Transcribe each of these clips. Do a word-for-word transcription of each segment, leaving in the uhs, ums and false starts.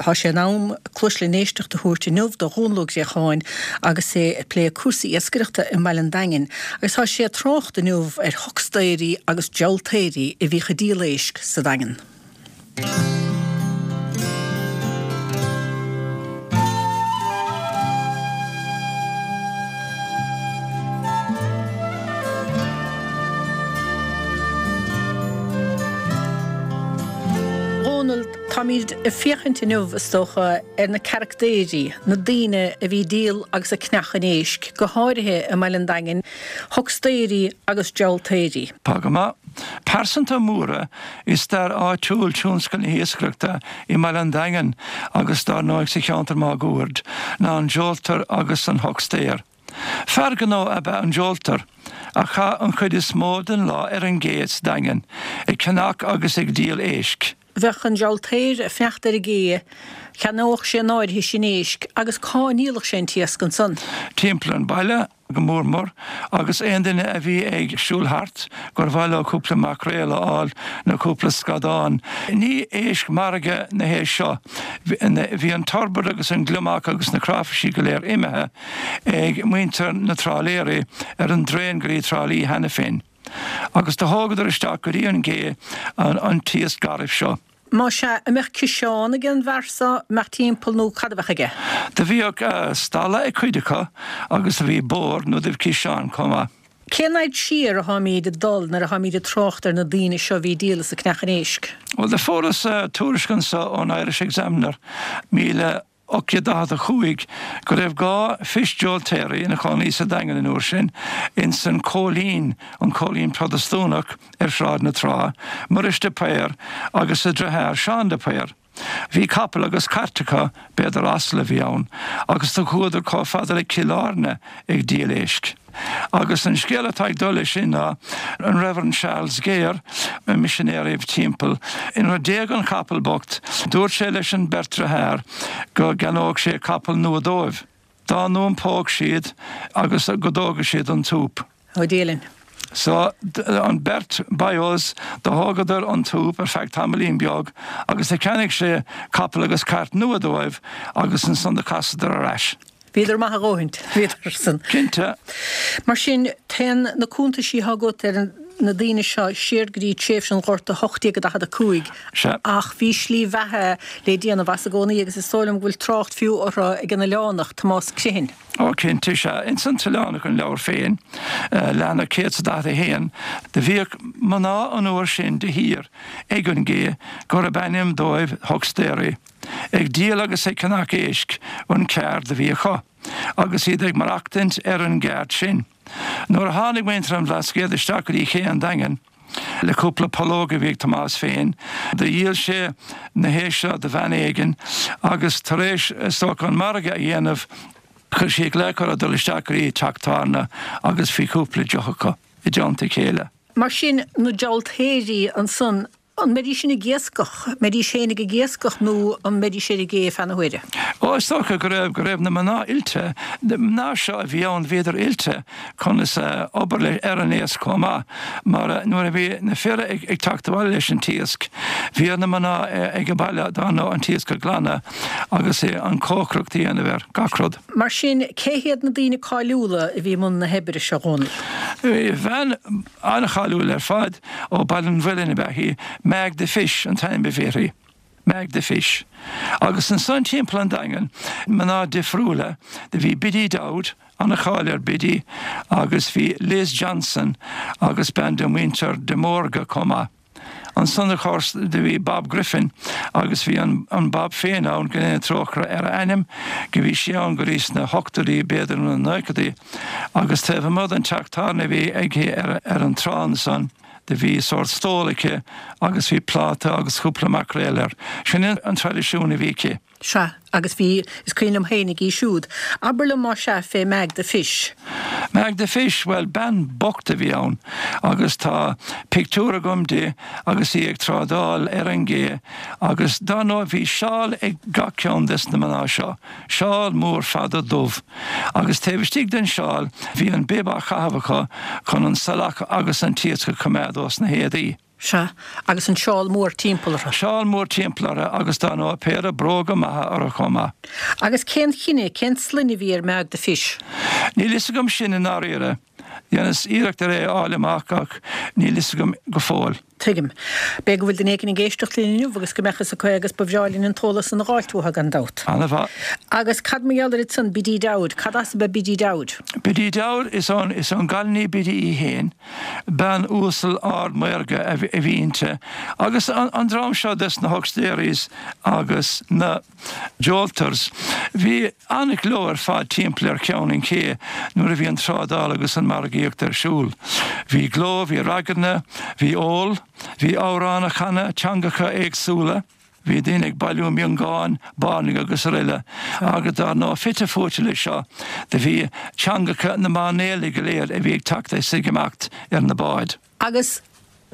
Tá sé in am cluas le n-éisteacht a thabhairt inniu do Dhónal Ó Griacháin agus é ag plé cúrsaí iascaireachta i mBaile an Daingin agus tá sé ag trácht inniu ar huckstairí agus diabhaltaeirí a bhíodh ag díol éisc sa Daingean. Dhónal, táimid ag féachaint inniu, is dócha, ar na caractéirí, na daoine a bhí ag díol agus ag ceannach an éisc, go háirithe i mBaile an Daingin, huckstairí agus diabhaltaeirí. Tá go maith. Pearsanta móra i stair áitiúil tionscal na hiascaireachta i mBaile an Daingin agus dar ndóigh sa cheantar máguaird ná an diabhaltóir agus an huckster. Fear gnó ab ea an diabhaltóir, a chaith an chuid is mó den lá ar an gcé sa Daingean, ag ceannach agus ag díol éisc. Bheadh an diabhaltóir ag fanacht ar an gcé, cheannódh sé an áirithe sin éisc agus cá ndíolfadh sé an t-iasc ansan? Timpeall an bhaile, go mór mór, agus aon duine a bhí ag siúl thart gur mhaith leo cúpla maicréal a fháil nó cúpla scadán. Ní éisc margaidh na héisc seo. Bhí an turbot agus an gliomach agus na cráifisí go léir imithe ag muintir na dtrálaeirí ar an dtraen go dtí Trá Lí cheana féin. Agus do thógadar isteach go dtí an gcé an t-iasc garbh seo. Más ea, an mbeadh ciseán ag an bhfear so, an mbeadh timpeall nó cad a bheadh aige? Do bhíodh stalla ag cuid acu agus do bhí bord nó do bhí ciseán chomh maith. Cén fhaid siar atáimíd ag dul nuair atáimíd ag trácht ar na daoine seo a bhí ag díol is ag ceannach an éisc? Bhuel, do fuaras tuairisc anso ón Irish Examiner, míle ocht gcéad daichead a cúig, go raibh dhá fish diabhaltaeirí ina chónaí sa Daingean an uair sin, ins an Cóilín, an Cóilín Protastúnach ar Shráid na Trá, Muiris de Paor agus a dhriotháir Seán de Paor. Bhí capall agus cairt acu, b'fhéidir asal a bhí ann, agus do chuadar chomh fada le Cill Airne ag díol éisc. Agus an scéal atá ag dul leis sin ná an Reverend Charles Gare, an misinéir a bhí timpeall, nuair a d'éag an capall bocht, dúirt sé leis an beirt driotháir go gceannódh sé capall nua dóibh, dá n-iompódh siad agus go dtógadh siad an súp. Ó Dia linn. So, an beirt boyos, do thógadar an súp ar feadh tamaillín beag agus do cheannaigh sé capall agus cairt nua dóibh agus ansan do casadar ar ais. Bhíodar maith a dhóthaint, bhíodar san. Cinnte. Mar sin, téann na cuntaisí atá agat ar na daoine seo siar go dtí tréimhse an Ghorta ocht déag daichead a cúig, Sea. ach bhí slí bheatha le déanamh as i gcónaí agus is dóigh liom go bhfuil trácht fiú orthu ag an Oileánach, Tomás Criomhthain. Ó, cinnte, sea. Ins an tOileánach, an leabhar féin, leathanach céad is a daichead a haon, do bhíodh mná an uair sin de shíor ag an gcé gurb ainm dóibh huckstairí. Ag díol agus ag ceannach éisc an ceard a bhí acu, agus iad ag maireachtaint ar an gceard sin. Nuair a tháinig muintir an Bhlascaoid isteach go dtí Cé an Daingin, le cúpla pollóg a bhí ag Tomás féin, do dhíol sé na héisc seo do bhean éigin, agus tar éis, is dócha, an margadh a dhéanamh, chuir sí glaoch orthu dul isteach go dtí teach tábhairne agus bhí cúpla deoch acu i dteannta a chéile. Mar sin, na diabhaltaeirí ansan, An mbeidís sin ag iascach, mbeidís féinig ag iascach nó an mbeidís ar an gcé feadh na huaire? Ó, is dócha go raibh, go raibh na mná oilte, na mná seo a bhí ann, bhíodar oilte conas obair le, ar an iasc chomh maith, mar nuair a bhí na fir ag, ag teacht abhaile leis an t-iasc, bhí ar na mná ag an baile, dar ndóigh, an t-iasc a ghlanadh agus an chócaireacht a dhéanamh air, gach rud. Mar sin, cé hiad na daoine cáiliúla a bhí i mbun na hoibre seo, Dhónaill? Bhí bean an-cháiliúil ar fad ó Baile an Mhuilinn ab ea í, Mag the Fish an t-ainm a bhí uirthi. Mag the Fish. Agus ansan timpeall an Daingin, mná difriúla, do bhí Biddy Dowd, an-cháil ar Biddy, agus bhí Liz Johnson agus bean de mhuintir de Mórdha chomh maith. Ansan of course do bhí Bob Griffin agus bhí an an Bob féin ann, go ndéana trócaire ar a anam, go bhí sí ann go dtí sna hochtóidí b'fhéidir nó na nóchaidí agus taobh amuigh den teach tábhairne a bhí aici ar ar an trá ansan do bhí sórt stól aici agus bhí pláta agus cúpla maicréal air. Sin an traidisiún a bhí aici. Sea, agus bhí, is cuimhin liom fhéinig í siúd. Abair liom más ea fé Mag the Fish. Mag the Fish, bhuel, bean bocht a bhí ann agus tá pictiúr agam di agus í ag trádáil ar an gcé agus dar ndóigh bhí seál ag gach ceann des na mná seo, seál mór fada dubh agus taobh istigh den seál bhí an bib á chaitheamh acu chun an salach agus an t-iasc a choimeád ós na héadaí. Sea, agus an seál mór timpeall orthu. Seál mór timpeall orthu agus dar ndóigh péire bróga maithe orthu chomh maith. Agus cén chine, cén sloinne a bhí ar Meaig the Fish? Níl fhios agam sin i ndáiríre. Dheineas iarracht ar é a fháil amach ach níl fhios agam go fóill. Tuigim. B'fhéidir go bhfuil duine éigin ag éisteacht linn inniu agus go mbeadh fhios acu agus ba bhreá linn an t-eolas san a dh'fháilt uathu gan dabht. Ana-mhaith. Agus cad mar gheall air ansan, Biddy Dowd? Cad as ab ea Biddy Dowd? Biddy Dowd, is ón, is ón gCailíní Biddy í fhéin. Bean uasal ard maorga a bhí inti. Agus an, an dream seo des na hucksteries agus na jolters, bhí an-ghleo ar fad timpeall ar cheann an ché nuair a bhí an trádáil agus an margaíocht ar siúl. Bhí gleo, bhí raigeanna, bhí ól, bhí amhráin á chanadh, teangacha éagsúla, bhí daoine ag bailiú miongáin, bairnigh agus aroile, agus dar ndóigh fite fuaite leis seo do bhí teangacha na máinléirí go léir a bhí ag teacht is ag imeacht ar na báid. Agus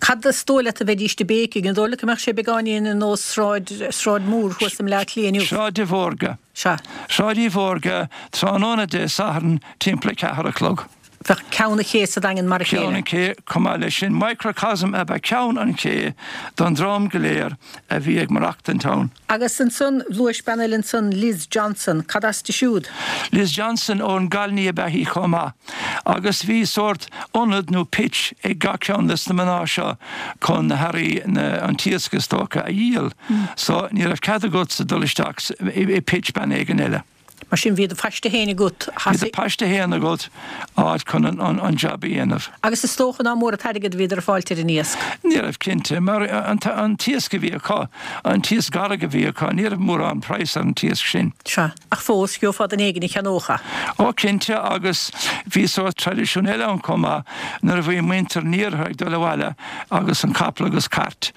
cad is dóigh leat a bheidís ag béicigh? An dóigh leat go mbeadh sé beagáinín ar nós Sráid, Sráid Mhór thuas i mBleá Cliath inniu? Sráid de Mhórga. Sea. Sráid Uí Mhórga, tráthnóna Dé Sathairn timpeall a ceathair a chlog. Bheadh ceann an ché sa Daingean mar a chéile. Ceann an ché, chomh maith leis sin, microcosm ab ea ceann an ché don dream go léir a bhí ag maireachtaint ann. Agus ansan, luais bean eile ansan, Liz Johnson, cad as di siúd? Liz Johnson ón gCailíní ab ea í chomh maith. Agus bhí sórt ionad nó pitch ag gach ceann des na mná seo chun na hearraí, an t-iasc is dócha, a dhíol. So ní raibh cead agatsa dul isteach i pitch bean éigin eile. Mar sin bhí do phaiste fhéin agat. Bhí do phaiste fhéin agat, áit chun an jab a dhéanamh. Agus is dócha nach mór an t-airgead a bhíodar ag fáilt ar an iasc. Ní raibh, cinnte, mar an t-iasc a bhí acu, an t-iasc garbh a bhí acu, ní raibh mórán praghas ar an t-iasc sin. Sea, ach fós, gheofá duine éigin a cheannódh é. Ó, cinnte, agus bhí sórt traidisiún eile ann chomh maith, nuair a bhí muintir an iarthair ag dul abhaile agus an capall agus cairt,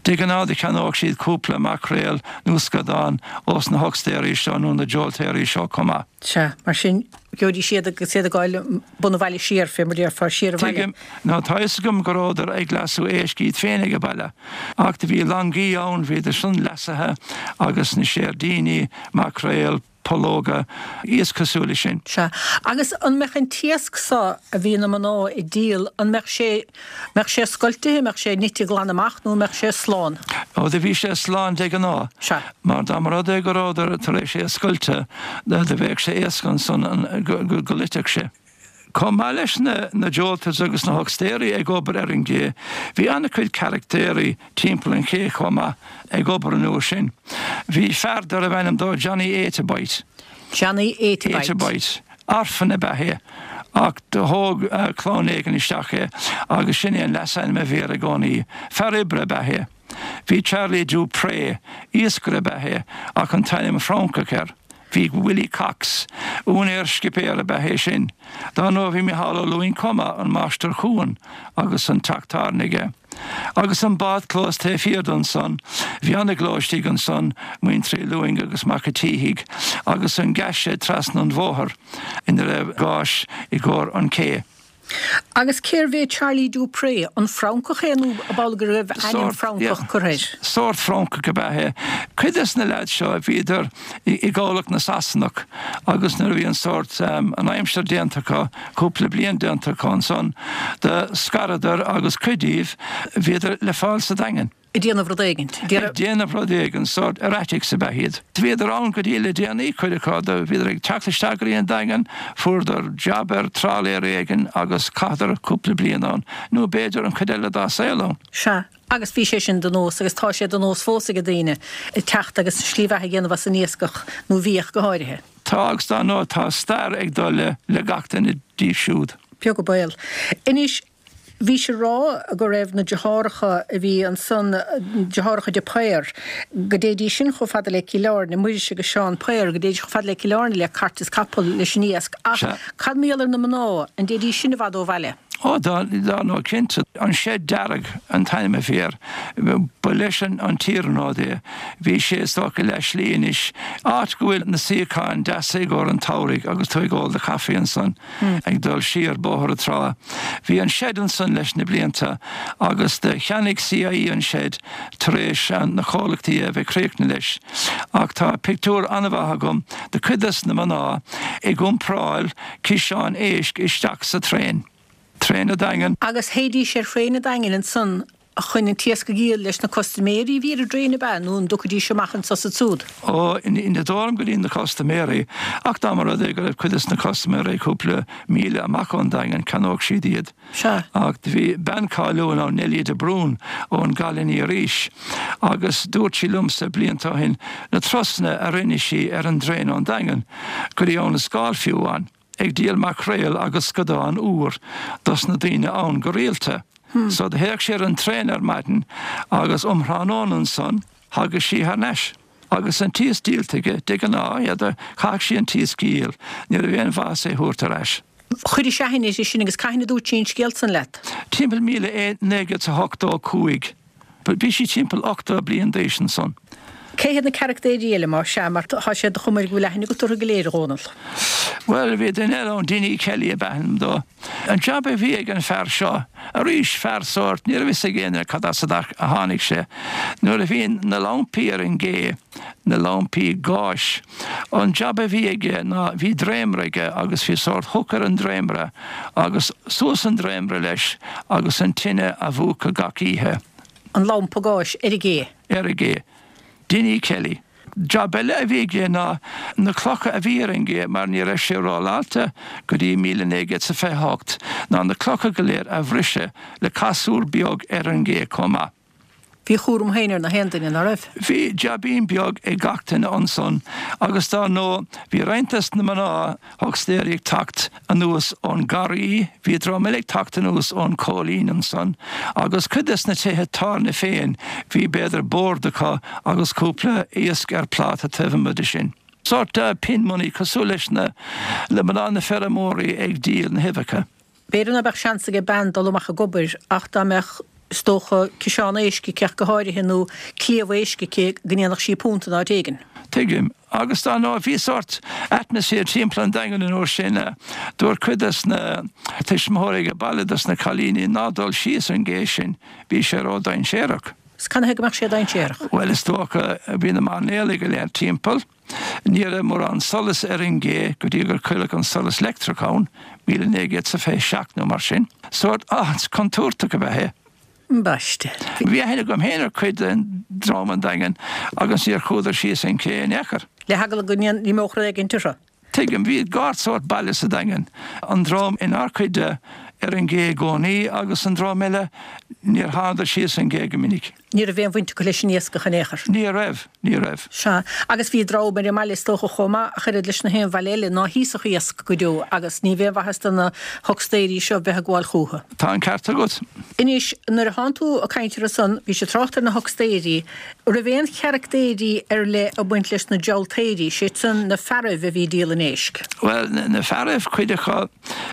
de ghnáth do cheannódh siad cúpla maicréal nó scadán ós na hucksterí seo nó na joltéirí seo chomh maith. Sea, mar sin, gheobhaidís iad agus iad ag gabháil bun an bhaile siar, fé mar déarfá, siar abhaile. Tuigim, nó tá fhios agam go rabhadar ag leasú éisc iad féin ag baile, ach do bhí langaí ann, bhíodar san leasaithe agus na seirdíní, maicréal, pollóga, iasc cosúil leis sin. Sea. Agus an mbeadh an t-iasc so a bhí na mná ag díol, an mbeadh sé, mbeadh sé scoiltithe, mbeadh sé nite glan amach nó an mbeadh sé slán? Ó, do bhí sé slán de ghnáth. Sea. Mar dá mba rud é go rabhadar tar éis é a scoilteadh, do bheadh sé éasca ansan go, go, go loitfeadh sé. Chomh maith leis na na jolters agus na hucksterí ag obair ar an gcé, bhí an-chuid caractéirí timpeall an ché chomh maith ag obair an uair sin. Bhí fear darbh ainm dó Johnny Eight-a-Bite. Johnny Eight-a-Bite. Eight-a-Bite. Orphan ab ea é ach do thóg clann éigin isteach é agus sin é an leasainm a bhí air i gcónaí. Fear oibre ab ea é. Bhí Charlie Dupré, iascaire ab ea é ach an t-ainm Francach air. Bhí Willie Cox, úinéir scipéir ab ea é sin. Dar ndóigh bhí Micheál Ó Lúing chomh maith, an máistir cuain agus an teach tábhairne aige. Agus an bádchlós taobh thiar de ansan, bhí ana-ghleo istigh ansan, muintir Uí Lúing agus Mac a' tSíthigh, agus an gas shed trasna an bhóthair ina raibh gáis i gcomhair an ché. Agus cérbh é Charlie Dupré? An Francach é nó ab amhlaidh go raibh ainm Francach curtha air? Sórt Francach ab ea é. Cuid des na leaids seo bhíodar i gcabhlach na Sasanach agus nuair a bhí an sórt, an aimsir déanta acu, cúpla bliain déanta acu ansan, do scaradar agus cuid díobh, bhíodar le fáil sa Daingean. Ag déanamh rud éigin. Ag déanamh rud éigin, sórt erratics ab ea iad. Bhíodar ann go dtí le déanaí, cuid acu. Do bhíodar ag teacht isteach go dtí an Daingean, fuaireadar jab ar trálaer éigin agus chaitheadar cúpla bliain ann, nó b'fhéidir an chuid eile dá saol ann. Sea, agus bhí sé sin de nós agus tá sé de nós fós ag daoine teacht agus slí bheatha a dhéanamh as an iascach, nó bhíodh go háirithe. Tá agus dar ndóigh tá stair ag dul le le gach duine díobh siúd. Beag an baol. Anois, Bhís ag rá go raibh na deartháireacha a bhí ansan, deartháireacha de Paor, go dtéidís sin chomh fada le Cill Airne, Muiris agus Seán Paor, go dtéidís chomh fada le Cill Airne le cairt is capall leis an iasc. Ach cad mar gheall ar na mná, an dtéidís sin i bhfad ó bhaile? Ó, dar ndóigh, cinnte. An Seid Dearg an t-ainm a bhí air. Ba leis an t-iarnród é. Bhí sé is dócha leath slí anois, áit go bhfuil na suíocháin deasa i gcomhair an tsamhraidh agus tú ag ól do chaife ansan. Ag dul siar Bóthar na Trá. Bhí an shed ansan leis na blianta agus do cheannaigh CIE an shed tar éis na comhlachtaí a bheith críochnaithe leis. Ach tá pictiúr an-mhaith agam de cuid des na mná ag iompráil ciseáin éisc isteach sa traein. Traein an Daingin. Agus théidís ar thraein an Daingin ansan chun an t-iasc a dhíol leis na custaiméirí a bhí ar an dtraein ab ea nó an dtiocfaidís amach anso is ansúd? Ó, ní dóigh liom go dtí na custaiméirí, ach dá mba rud é go raibh cuid des na custaiméirí cúpla míle amach ón Daingean, cheannódh siad iad. Sea. Ach do bhí bean cáiliúil ann, Neilí de Brún, ón gCailín arís, agus dúirt sí liomsa blianta ó shin na turasanna a rinne sí ar an dtraein ón Daingean go dtí Abhainn an Scáil fiú amháin, ag díol maicréal agus scadán úr dos na daoine ann go rialta. So do théadh sí ar an traein ar maidin agus um thráthnóna ansan thagadh sí thar n-ais. Agus an t-iasc díolta aici, de ghnáth, yeah, chaithfeadh sí an t-iasc a dhíol, ní raibh aon mhaitheas é thabhairt ar ais. Chuiris aithne uirthi sin agus cathain a dúirt sí an scéal san leat? Timpeall míle naoi gcéad is a hochtó a cúig. Bhí sí timpeall ochtó bliain d'aois ansan. Cé hiad na carachtaeirí eile, más ea, mar tá sé de chuma air go bhfuil aithne agat orthu go léir, a Dhónaill? Bhuel, bhí duine eile ann, Dinny Kelly ab ainm dó. An jab a bhí ag an fear seo, arís fear sórt, ní raibh fhios ag éinne cad as a tháinig sé, nuair a bhí na lampaí ar an gcé, na lampaí gáis, an jab a bhí aige ná bhí dréimire aige agus bhí sórt hook ar an dréimire agus suas an dréimire leis agus an tine a mhúchadh gach oíche. An lampa gáis ar an gcé. Ar an gcé. Dinny Kelly. Jab eile a bhí aige ná na clocha a bhí ar an gcé, mar ní raibh sé rolláilte go dtí míle naoi gcéad is a fiche hocht, ná na clocha go léir a bhriseadh le casúr beag ar an gcé chomh maith. Bhí a chúram féin ar na haon duine, ná raibh? Bhí jaibín beag ag gach duine ansan agus dar ndóigh bhí roinnt des na mná huckstairí ag teacht anuas ón nGarraí, bhí dream eile ag teacht anuas ón Chóilín ansan agus cuid des na tithe tábhairne féin bhí b'fhéidir bord acu agus cúpla iasc ar pláta taobh amuigh de sin. Sórt pin money cosúil leis na le mná na feirmeoirí ag díol na huibheacha. B'fhéidir ná beadh seans ag bean dul amach ag obair ach dá mbeadh, is dócha, ciseán éisc aici ach go háirithe nó cliabh éisc aici go ndéanfadh sí punt in áit éigin. Tuigim. Agus dar ndóigh bhí sórt atmaisféar timpeall an Daingin an uair sin. Dúirt cuid des na tuismitheoirí ag baile dos na cailíní ná dul síos an gcé sin, bhí sé ró-dainséarach. 'S canathaobh go mbeadh sé dainséarach? Bhuel, is dócha, bhí na mairnéalaigh go léir timpeall. Ní raibh mórán solas ar an gcé go dtí gur cuireadh an solas leictreach ann, míle naoi gcéad 's a fiche seacht nó mar sin. Sórt áit contúirteach ab ea é. Ambaiste. Bhí aithne agam féin ar chuid den dream an Daingin agus níor chuadar síos an cé in aon chor. Le heagla go n-imeodh rud éigin orthu. Tuigim, bhí dhá sórt baile sa Daingean, an dream inár cuid de ar an gcé i gcónaí agus an dream eile, níor thánadar síos an gcé go minic. Ní raibh aon bhaint acu leis an iascach in aon chor. Ní raibh, ní raibh. Sea, agus bhí dream ar an mbaile is dócha chomh maith, ach oiread leis na haon bhaile eile, ná híosfadh iasc go deo agus ní bheadh aon mhaitheas do na huckstairí seo bheith ag gabháil chúthu. Tá an ceart agat. Anois, nuair a thánn tú ag caint orthu san, bhís ag trácht ar na huckstairí, raibh aon charactéirí ar leith ag baint leis na diabhaltaeirí, sé sin na fearaibh a bhí ag díol an éisc? Bhuel, na fearaibh, cuid acu,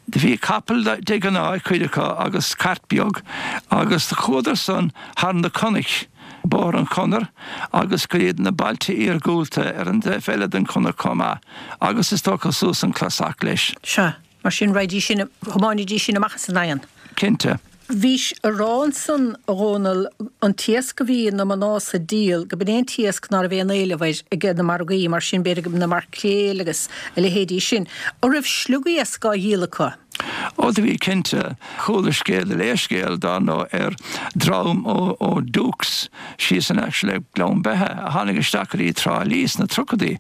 do bhí capall de ghnáth ag cuid acu agus cairt beag agus do chuadar san thar na cnoic, Bóthar an Chonair agus go dtí na bailte iargúlta ar an dtaobh eile den chonair chomh maith agus is dócha suas an Clasach leis. Sea, mar sin raghaidís sin, thiomáinidís sin amach as an nDaingean. Cinnte. Bhís a rá ansan, a Dhónaill, an t-iasc a bhí na mná so ag díol, go b'in é an t-iasc ná raibh aon éileamh air ag na margaí, mar sin b'fhéidir na maircréil agus a leithéidí sin. An raibh sliogiasc á dhíol acu? Ó do bhí cinnte. Chuala scéal, léadh scéal dar ndóigh ar dhream ó ó Dukes síos in aice le Gleann Beithe a tháinig isteach go dtí Trá Lí sna tríochaidí.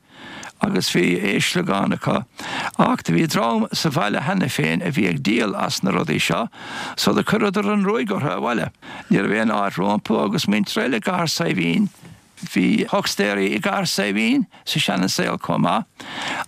agus bhí éisc sliogán acu. Ach do bhí dream sa bhaile cheana féin a bhí ag díol as na rudaí seo, so do chuireadar an ruaig orthu abhaile. Ní raibh aon áit rompu agus muintir eile i gCathair Saidhbhín. Bhí huckstairí i gCathair Saidhbhín sa seana saol chomh maith,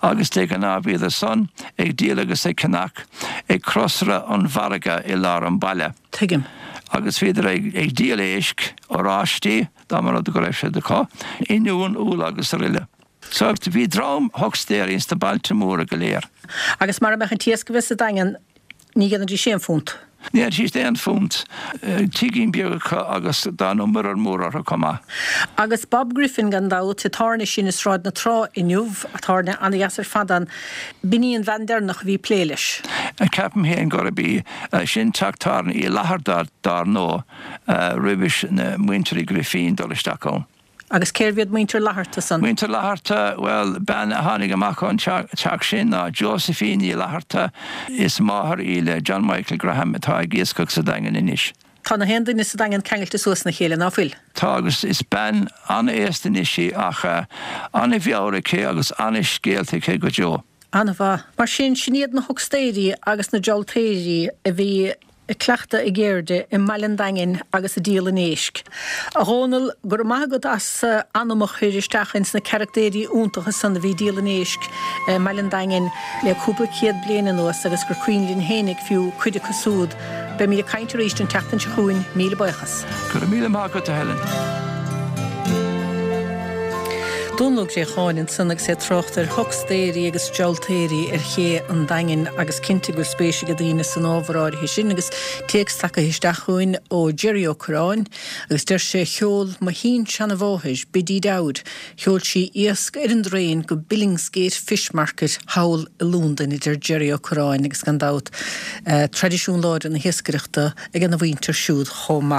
agus de ghnáth bhíodar san ag díol agus ag ceannach ag crosaire an mhargaidh i lár an bhaile. Tuigim. Agus bhíodar ag ag díol éisc, oráistí, dá mba rud go raibh siad acu, oinniún, úlla agus aroile. So bhí dream huckstairí ins na bailte móra go léir. Agus mara mbeadh an t-iasc a bheith sa Daingean, ní dhéanfaidís aon phunt. Ní dhéanfaidís aon phunt. Tigín beag acu agus dar ndóigh muirear mór orthu chomh maith. Agus Bob Griffin gan dabht, an tábhairne sin i Sráid na Trá inniu, tábhairne an-dheas ar fad ann, b'in í an bhean deireanach a bhí ag plé leis. Ceapaim féin gurb í. Sin teach tábhairne Uí Fhlatharta dar ndóigh, roimhis na muintir Uí Ghrifín dul isteach ann. Agus cérbh iad muintir Fhlatharta san? Muintir Fhlatharta, bhuel, bean a tháinig amach ón teach sin ná Josephine Ní Fhlatharta. Is máthair í le John Michael Graham atá ag iascach sa Daingean anois. Tá na haon duine sa Daingean ceangailte suas ina chéile, ná fuil? Tá agus is bean an-aosta anois í ach an-mheabhair aici agus an-scéalta aici go deo. An-mhaith. Mar sin, sin iad na huxtaeirí agus na dioltaeirí a bhí ag cleachtadh a gceirde i mBaile an Daingin agus ag díol an éisc. A Dhónaill, go raibh maith agat as anam a chur isteach ins na carachtaeirí iontacha san a bhí ag díol an éisc i mBaile an Daingin le cúpla céad bliain anuas agus gur cuimhin linn fhéinig fiú cuid acu súd. Beimid ag caint arís an tseachtain seo chugainn. Míle buíochas. Go raibh míle maith agat, a Helen. Dónall Ó Préacháin ansan agus é ag trácht ar huxtaeirí agus dioltaeirí ar ché an Daingin agus cinnte go bhfuil spéis ag daoine san ábhar áirithe sin agus téacs tagtha isteach chugainn ó Jerry Ó Curráin agus deir sé Sheol mo shin-seanamháthair, Biddy Dowd, sheol sí iasc ar an dtraein go Billingsgate Fish Market thall i Londain, a deir Jerry Ó Curráin agus gan dabht traidisiún láidir na hiascaireachta ag an mhuintir siúd chomh maith.